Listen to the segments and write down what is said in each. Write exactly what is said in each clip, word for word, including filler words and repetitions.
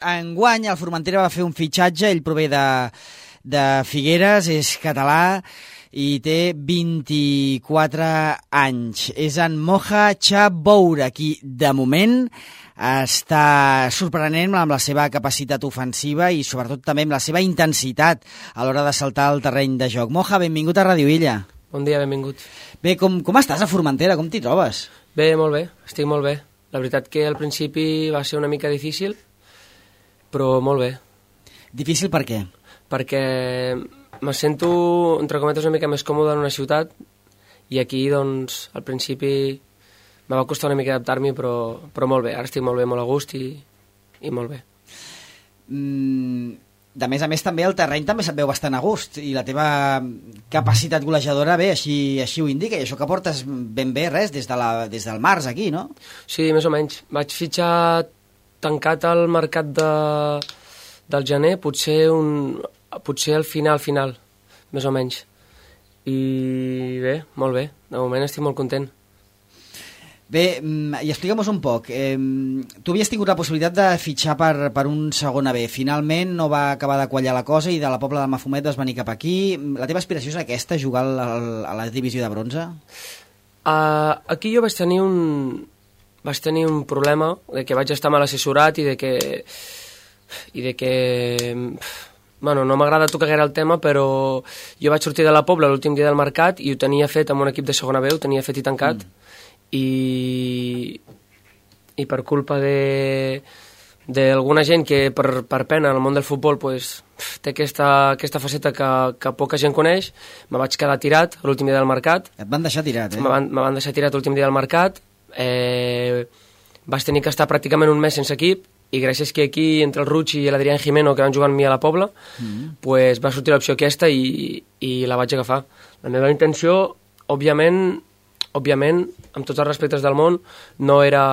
Enguany el Formentera va fer un fitxatge, ell prové de, de Figueres, és català i té vint-i-quatre anys. És en Moja Chaboura, qui de moment està sorprenent amb la seva capacitat ofensiva i sobretot també amb la seva intensitat a l'hora de saltar al terreny de joc. Moja, benvingut a Ràdio Illa. Bon dia, benvingut. Bé, com, com estàs a Formentera? Com t'hi trobes? Bé, molt bé, estic molt bé. La veritat que al principi va ser una mica difícil, però molt bé. Difícil per què? Perquè me sento, entre cometes, una mica més còmode en una ciutat i aquí, doncs, al principi me va costar una mica adaptar-m'hi, però, però molt bé. Ara estic molt bé, molt a gust i, i molt bé. Mm, de més a més, també el terreny també se't veu bastant a gust i la teva capacitat golejadora, bé, així, així ho indica, i això que portes ben bé res des, de la, des del març aquí, no? Sí, més o menys. Vaig fitxar tancat al mercat de, del gener, potser, un, potser al final, final, més o menys. I bé, molt bé, de moment estic molt content. Bé, i explica'm-nos un poc. Eh, tu havies tingut la possibilitat de fitxar per, per un segona B. Finalment no va acabar de quallar la cosa i de la Pobla del Mafumet vas venir cap aquí. La teva aspiració és aquesta, jugar al, al, a la divisió de bronze? Uh, aquí jo vaig tenir un... vaig tenir un problema de que vaig estar mal assessorat i de que... i de que... Bueno, no m'agrada tocar gaire el tema, però jo vaig sortir de la Pobla l'últim dia del mercat i ho tenia fet amb un equip de segona B, ho tenia fet i tancat, mm. i... i per culpa de... d'alguna gent que per, per pena en el món del futbol pues, té aquesta, aquesta faceta que, que poca gent coneix, me vaig quedar tirat l'últim dia del mercat. Et van deixar tirat, eh? Me van, me van deixar tirat l'últim dia del mercat. Eh, vaig tenir que estar pràcticament un mes sense equip i gràcies que aquí entre el Ruchi i l'Adrián Jimeno que van jugar amb mi a la Pobla mm. pues va sortir l'opció aquesta i, i la vaig agafar. La meva intenció òbviament, òbviament amb tots els respectes del món no era,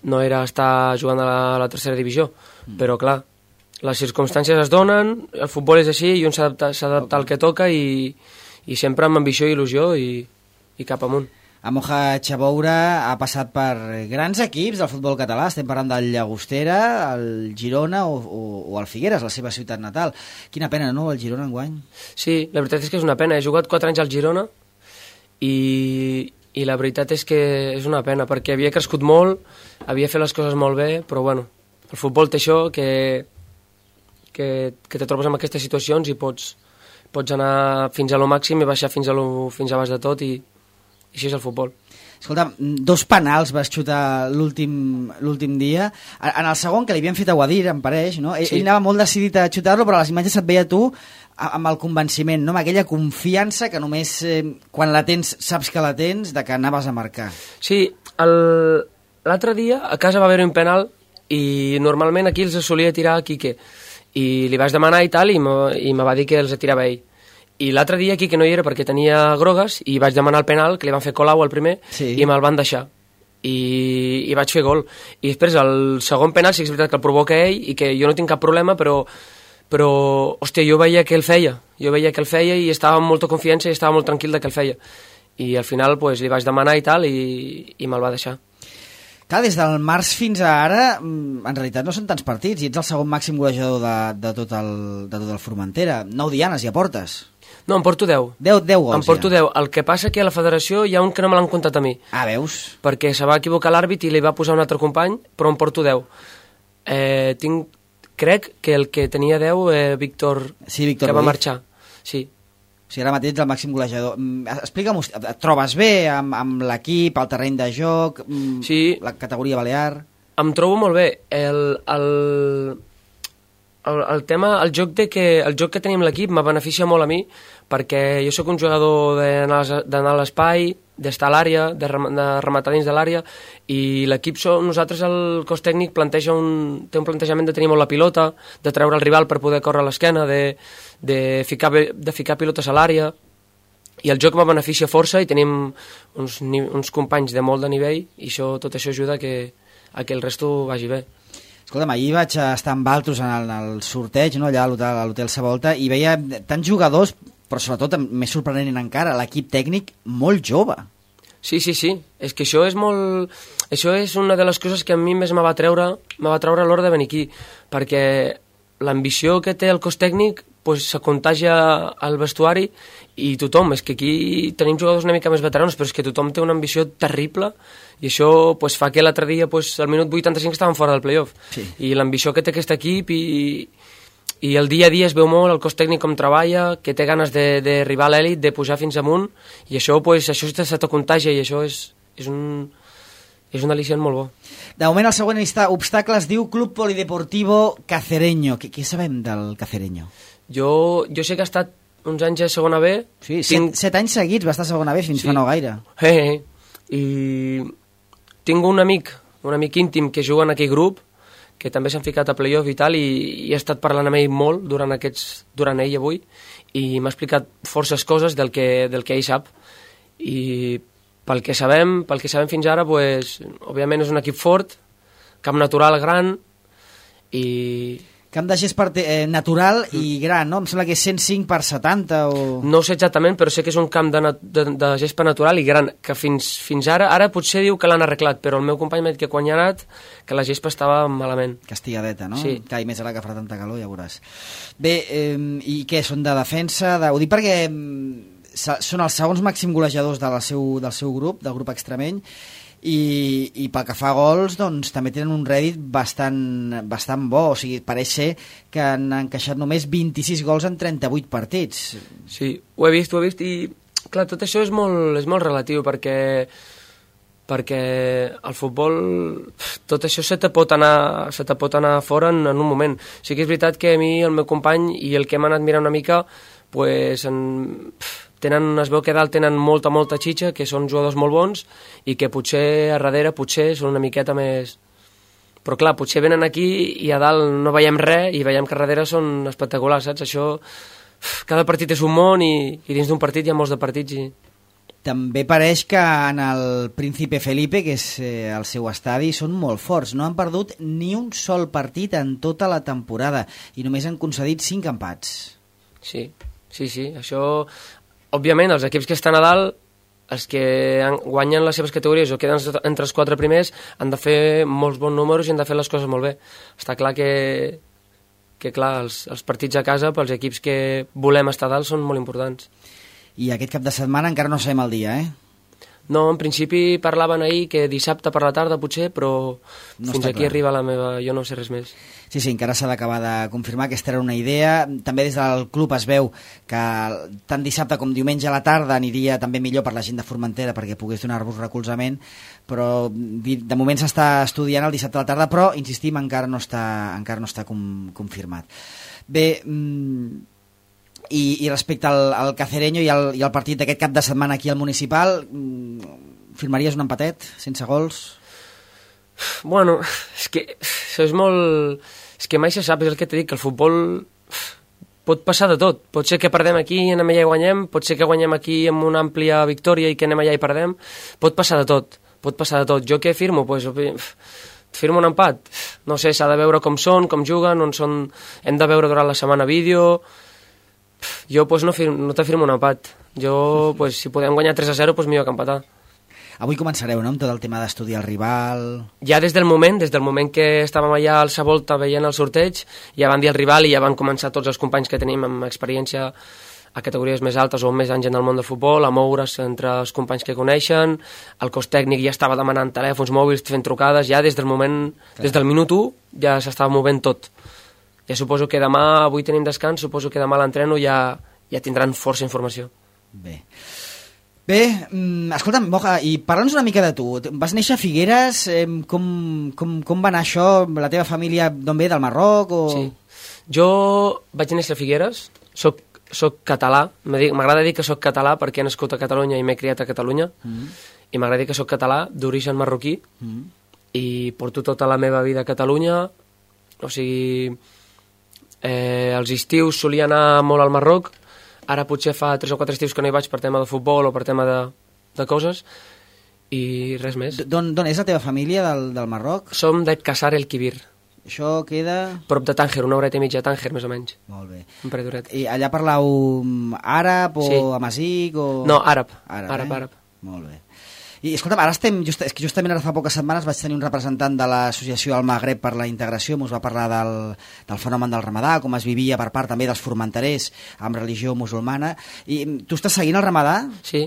no era estar jugant a la, a la tercera divisió, mm. però clar, les circumstàncies es donen, el futbol és així i un s'ha d'adaptar al que toca i, i sempre amb ambició i il·lusió i, i cap amunt. A Moja Chaboura ha passat per grans equips del futbol català, estem parlant del Llagostera, el Girona o, o, o el Figueres, la seva ciutat natal. Quina pena, no, el Girona enguany? Sí, la veritat és que és una pena. He jugat quatre anys al Girona i, i la veritat és que és una pena, perquè havia crescut molt, havia fet les coses molt bé, però bueno, el futbol té això, que, que, que te trobes en aquestes situacions i pots, pots anar fins a lo màxim i baixar fins a, lo, fins a baix de tot i I així és el futbol. Escolta, dos penals vas xutar l'últim dia. En el segon, que li havien fet a Guadir, em pareix, no? Ell, sí. ell anava molt decidit a xutar-lo, però a les imatges et veia tu amb el convenciment, no? Amb aquella confiança que només eh, quan la tens saps que la tens, de que anaves a marcar. Sí, l'altre dia a casa va haver un penal i normalment aquí els solia tirar a Quique. I li vaig demanar i tal, i me va dir que els tirava ell. I l'altre dia aquí, que no hi era perquè tenia grogues, i vaig demanar el penal, que li van fer Colau al primer, sí. i me'l van deixar. I, I vaig fer gol. I després, el segon penal, sí que és veritat que el provoca ell, i que jo no tinc cap problema, però, però hòstia, jo veia que el feia. Jo veia que el feia i estava amb molta confiança i estava molt tranquil de que el feia. I al final, pues, li vaig demanar i tal, i, i me'l va deixar. Clar, des del març fins a ara, en realitat no són tants partits, i ets el segon màxim golejador de, de, tot el, de tot el Formentera. Nou dianes ja portes. No, em porto deu. deu, deu gols, em porto ja. deu. El que passa que a la federació hi ha un que no me l'han comptat a mi. Ah, veus? Perquè se va equivocar l'àrbit i li va posar un altre company, però em porto deu. Eh, tinc, crec que el que tenia deu, eh, Víctor, sí, Víctor que va marxar. Sí. O sigui, ara mateix ets el màxim golejador. Explica'm, et trobes bé amb, amb l'equip, el terreny de joc, sí. la categoria balear? Em trobo molt bé. El... el... El, el tema, el joc, de que, el joc que tenim l'equip me beneficia molt a mi perquè jo sóc un jugador d'anar a l'espai, d'estar a l'àrea, de, rem, de rematar dins de l'àrea i l'equip, nosaltres el cos tècnic planteja un, té un plantejament de tenir molt la pilota, de treure el rival per poder córrer a l'esquena, de, de, ficar, de ficar pilotes a l'àrea i el joc me beneficia força i tenim uns, uns companys de molt de nivell i això, tot això ajuda a que, a que el resto vagi bé. Escolta'm, ahir vaig estar amb altres en el, en el sorteig, no, allà a l'Hotel Savolta, i veia tants jugadors, però sobretot, més sorprenent encara, l'equip tècnic molt jove. Sí, sí, sí. És que això és molt... Això és una de les coses que a mi més me va treure, me va treure a l'hora de venir aquí, perquè l'ambició que té el cos tècnic pues, se contagia al vestuari i tothom, és que aquí tenim jugadors una mica més veterans, però és que tothom té una ambició terrible i això pues, fa que l'altre dia pues, al minut vuitanta-cinc estàvem fora del playoff. Sí. I l'ambició que té aquest equip i, i el dia a dia es veu molt, el cos tècnic com treballa, que té ganes d'arribar a l'èlit, de pujar fins amunt, i això, pues, això se te contagia i això és, és un... és un al·licient molt bo. De moment el següent obstacle es diu Club Polideportivo Cacereño. Què, què sabem del Cacereño? Jo, jo sé que ha estat uns anys a segona B. Sí, tinc... set, set anys seguits va estar a segona B fins sí. fa no gaire. Eh, eh. I tinc un amic, un amic íntim que juga en aquell grup, que també s'han ficat a playoff i tal, i, i he estat parlant amb ell molt durant, aquests, durant ell avui, i m'ha explicat forces coses del que, del que ell sap. I pel que sabem, pel que sabem fins ara, pues, òbviament és un equip fort, camp natural gran i... Camp de gespa eh, natural mm. i gran, no? Em sembla que és cent cinc per setanta o... No sé exactament, però sé que és un camp de, de, de gespa natural i gran, que fins, fins ara, ara potser diu que l'han arreglat, però el meu company m'ha dit que quan hi ha anat, que la gespa estava malament. Castigadeta, no? Sí. Clar, i més ara que farà tanta calor, ja veuràs. Bé, eh, i què, són de defensa? De... Ho dic perquè... són els segons màxim golejadors del seu, del seu grup, del grup extremeny, i, i pel que fa a gols, doncs també tenen un rèdit bastant, bastant bo, o sigui, pareix ser que han encaixat només vint-i-sis gols en trenta-vuit partits. Sí, ho he vist, ho he vist, i clar, tot això és molt, és molt relatiu, perquè perquè al futbol tot això se te pot anar, se te pot anar fora en, en un moment. Sí que és veritat que a mi, el meu company, i el que hem anat mirant una mica, pues, en, tenen, es veu que dalt tenen molta, molta xitxa, que són jugadors molt bons, i que potser a darrere potser són una miqueta més... Però clar, potser venen aquí i a dalt no veiem res, i veiem que a darrere són espectaculars, saps? Això, cada partit és un món, i, i dins d'un partit hi ha molts de partits, i... També pareix que en el Príncipe Felipe, que és eh, el seu estadi, són molt forts. No han perdut ni un sol partit en tota la temporada, i només han concedit cinc empats. Sí, sí, sí, això... Òbviament, els equips que estan a dalt, els que guanyen les seves categories o queden entre els quatre primers, han de fer molts bons números i han de fer les coses molt bé. Està clar que, que clar, els, els partits a casa, pels equips que volem estar a dalt, són molt importants. I aquest cap de setmana encara no sabem el dia, eh? No, en principi parlaven ahir que dissabte per la tarda potser, però no fins aquí clar. Arriba la meva... Jo no sé res més. Sí, sí, encara s'ha d'acabar de confirmar, aquesta era una idea. També des del club es veu que tant dissabte com diumenge a la tarda aniria també millor per la gent de Formentera perquè pogués donar-vos recolzament, però de moment s'està estudiant el dissabte a la tarda, però, insistim, encara no està, encara no està com, confirmat. Bé... Mmm... I, i respecte al, al Cacereño i al, i al partit d'aquest cap de setmana aquí al Municipal, firmaries un empatet sense gols? Bueno, és que això és molt... És que mai se sap, és el que t'he dit, que el futbol pot passar de tot. Pot ser que perdem aquí i anem allà i guanyem, pot ser que guanyem aquí amb una àmplia victòria i que anem allà i perdem. Pot passar de tot, pot passar de tot. Jo què firmo? Pues, firmo un empat. No sé, s'ha de veure com són, com juguen, on són... Hem de veure durant la setmana vídeo... Jo pues, no, firmo, no te firmo un empat. Jo, pues, si podem guanyar tres a zero, pues, millor que empatar. Avui començareu, no?, amb tot el tema d'estudiar el rival... Ja des del moment, des del moment que estàvem allà al Savolta veient el sorteig, ja van dir el rival i ja van començar tots els companys que tenim amb experiència a categories més altes o més anys en el món del futbol, a moure's entre els companys que coneixen, el cos tècnic ja estava demanant telèfons mòbils, fent trucades, ja des del moment, Clar. des del minut u, ja s'estava movent tot. Ja suposo que demà, avui tenim descans, suposo que demà a l'entreno ja, ja tindran força informació. Bé. Bé, escolta'm, Moja, i parla'ns una mica de tu. Vas néixer a Figueres, eh, com, com, com va anar això? La teva família d'on ve, del Marroc? O... Sí. Jo vaig néixer a Figueres, soc, soc català, m'agrada dir que soc català perquè he nascut a Catalunya i m'he criat a Catalunya, mm. i m'agrada dir que soc català d'origen marroquí, mm. i porto tota la meva vida a Catalunya, o sigui... Eh, els estius solia anar molt al Marroc, ara potser fa tres o quatre estius que no hi vaig per tema de futbol o per tema de, de coses, i res més. D'on és la teva família del, del Marroc? Som de Cassar el Quibir. Això queda... Prop de Tànger, una horeta i mitja de Tànger, més o menys. Molt bé. Un parell d'horet. I allà parlau àrab o sí. amazic? O... No, àrab. Àrab, àrab, eh? àrab. Molt bé. I escolta'm, ara estem, just, és que justament ara fa poques setmanes vaig tenir un representant de l'associació al Magreb per la integració, ens va parlar del, del fenomen del Ramadà, com es vivia per part també dels formenterers amb religió musulmana. I tu estàs seguint el Ramadà? Sí,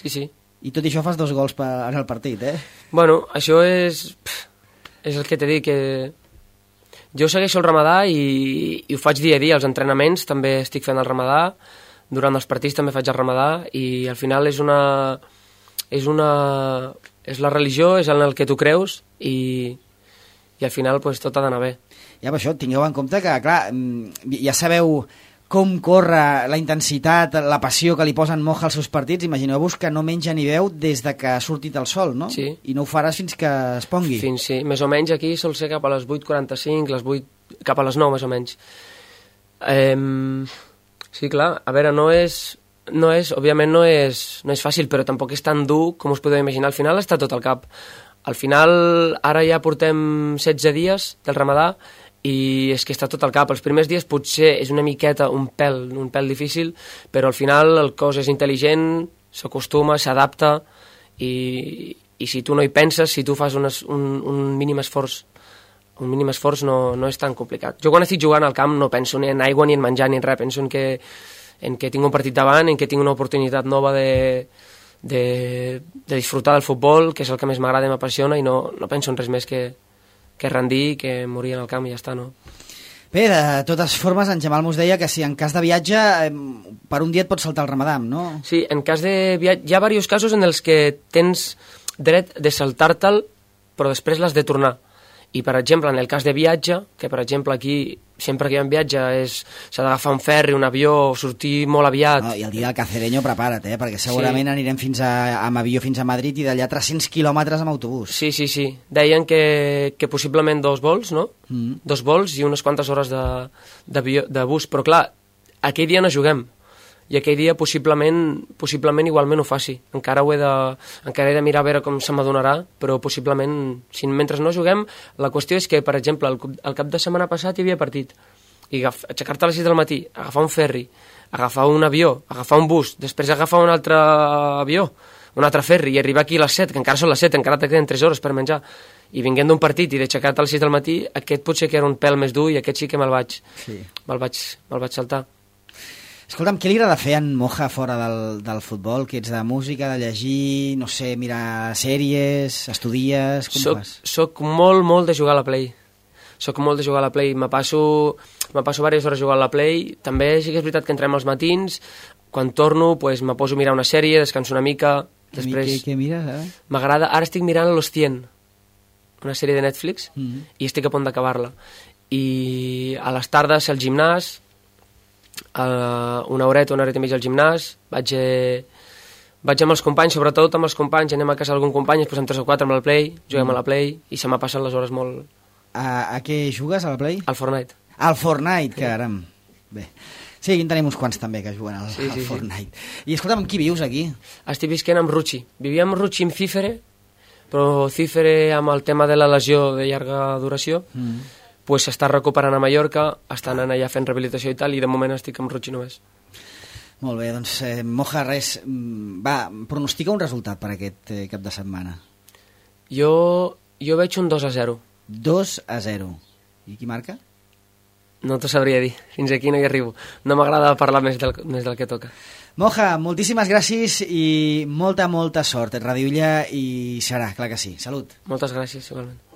sí, sí. I tot i això fas dos gols per, en el partit, eh? Bueno, això és... és el que t'he dit, que jo segueixo el Ramadà i, i ho faig dia a dia, als entrenaments també estic fent el Ramadà, durant els partits també faig el Ramadà, i al final és una... és una... és la religió, és en el que tu creus, i, i al final pues, tot ha d'anar bé. Ja, per això, tingueu en compte que, clar, ja sabeu com corre la intensitat, la passió que li posen Moja als seus partits. Imagineu-vos que no menja ni beu des de que ha sortit el sol, no? Sí. I no ho faràs fins que es pongui. Fins, sí. Més o menys aquí sol ser cap a les vuit quaranta-cinc, les vuit, cap a les nou, més o menys. Eh, sí, clar, a veure, no és... No és, òbviament no és, no és fàcil, però tampoc és tan dur com us podeu imaginar. Al final està tot al cap. Al final, ara ja portem setze dies del Ramadà i és que està tot al cap. Els primers dies potser és una miqueta, un pèl, un pèl difícil, però al final el cos és intel·ligent, s'acostuma, s'adapta i, i si tu no hi penses, si tu fas un, un, un mínim esforç, un mínim esforç no, no és tan complicat. Jo quan estic jugant al camp no penso ni en aigua, ni en menjar, ni en res. Penso en que en què tinc un partit davant, en què tinc una oportunitat nova de, de, de disfrutar del futbol, que és el que més m'agrada i m'apassiona, i no, no penso en res més que, que rendir, que morir en el camp i ja està, no? Bé, de totes formes, en Jamal mos deia que si en cas de viatge, per un dia et pots saltar el Ramadà, no? Sí, en cas de viatge, hi ha diversos casos en els que tens dret de saltar-te'l, però després l'has de tornar. I, per exemple, en el cas de viatge, que, per exemple, aquí, sempre que hi ha un viatge, s'ha d'agafar un ferri, un avió, sortir molt aviat. No, I el dia del Cacereño, prepara't, eh? Perquè segurament sí. anirem fins a, amb avió fins a Madrid i d'allà tres-cents quilòmetres amb autobús. Sí, sí, sí. Deien que, que possiblement dos vols, no? Mm. Dos vols i unes quantes hores de, de, de bus. Però, clar, aquell dia no juguem. I aquell dia possiblement, possiblement igualment ho faci. Encara ho he de, encara he de mirar a veure com se m'adonarà, però possiblement, si mentre no juguem, la qüestió és que, per exemple, el, el cap de setmana passat hi havia partit. I aixecar-te a les sis del matí, agafar un ferri, agafar un avió, agafar un bus, després agafar un altre avió, un altre ferri, i arribar aquí a les set, que encara són les set, encara te queden tres hores per menjar, i vinguent d'un partit i d'aixecar-te a les sis del matí, aquest potser que era un pèl més dur i aquest sí que me'l vaig, sí. me'l vaig, me'l vaig saltar. Escolta'm, què li agrada fer en Moja fora del, del futbol? Que ets de música, de llegir, no sé, mirar sèries, estudies, com soc, fas? Soc molt, molt de jugar a la Play. Soc molt de jugar a la Play. Me passo, me passo diverses hores jugant a la Play. També sí que és veritat que entrem als matins. Quan torno, pues, me poso a mirar una sèrie, descanso una mica. Després... Què, què mires, ara? M'agrada... Ara estic mirant Los cien, una sèrie de Netflix, mm-hmm. i estic a punt d'acabar-la. I a les tardes al gimnàs, Uh, una horeta, una horeta i mitja al gimnàs, vaig, eh, vaig amb els companys, sobretot amb els companys, anem a casa d'algun company, ens posem tres o quatre amb la Play, juguem mm. a la Play i se m'ha passen les hores molt... A, a què jugues, a la Play? Al Fortnite. Al Fortnite, sí. Caram. Bé. Sí, aquí en tenim uns quants també que juguen al, sí, al sí, Fortnite. Sí. I escolta'm, amb qui vius aquí? Estic visquent amb Ruchi. Vivia amb Ruchi amb Cífere, però Cífere amb el tema de la lesió de llarga duració, mm. pues s'està recuperant a Mallorca, està anant allà fent rehabilitació i tal, i de moment estic amb Ruchi només. Molt bé, doncs eh, Moja, res, va, pronostica un resultat per aquest eh, cap de setmana. Jo, jo veig un dos a zero. dos a zero. I qui marca? No t'ho sabria dir, fins aquí no hi arribo. No m'agrada parlar més del, més del que toca. Moja, moltíssimes gràcies i molta, molta sort. Et radiulla i serà, clar que sí. Salut. Moltes gràcies, igualment.